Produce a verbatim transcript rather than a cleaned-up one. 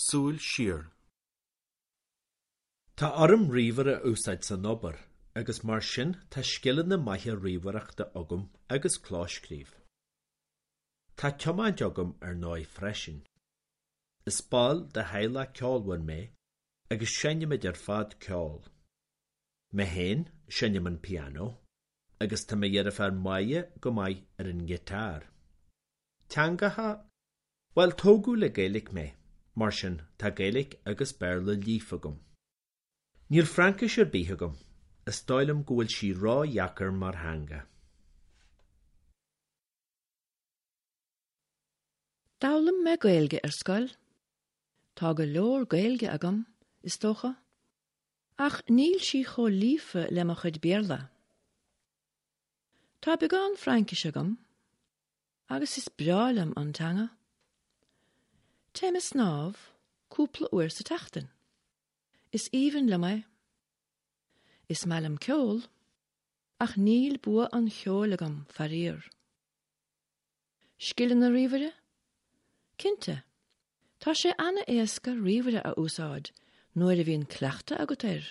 Súil siar. Tá orm ríomhaire a úsáid san obair, agus mar sin tá scileanna maithe ríomhaireachta agam agus clóscríobh. Tá tiomáint agam ar ndóigh freisin. Is ball de theaghlach ceolmhar mé agus seinnimid ar fad ceol. Mé féin seinnim an pianó, agus tá mo dheirfiúr Máire go maith ar an ngiotár. Teangacha? Bhuel tógadh le Gaeilge mé, mar sin tá Gaeilge agus Béarla líofa agam. Níl Fraincis ar bith agam, is dóigh liom go bhfuil sí ródheacair mar theanga. D'fhoghlaim mé Gaeilge ar scoil. Tá go leor Gaeilge agam, is dócha, ach níl sí chomh líofa le mo chuid Béarla. Tá beagán Fraincis agam, agus is breá liom an teanga. Téim ag snámh cúpla uair sa tseachtain. Is aoibhinn liom é. Is maith liom ceol, ach níl bua an cheoil agam faraor. Scileanna ríomhaire? Cinnte, Tá sé an-éasca ríomhaire a úsáid nuair a bhíonn cleachtadh agat air.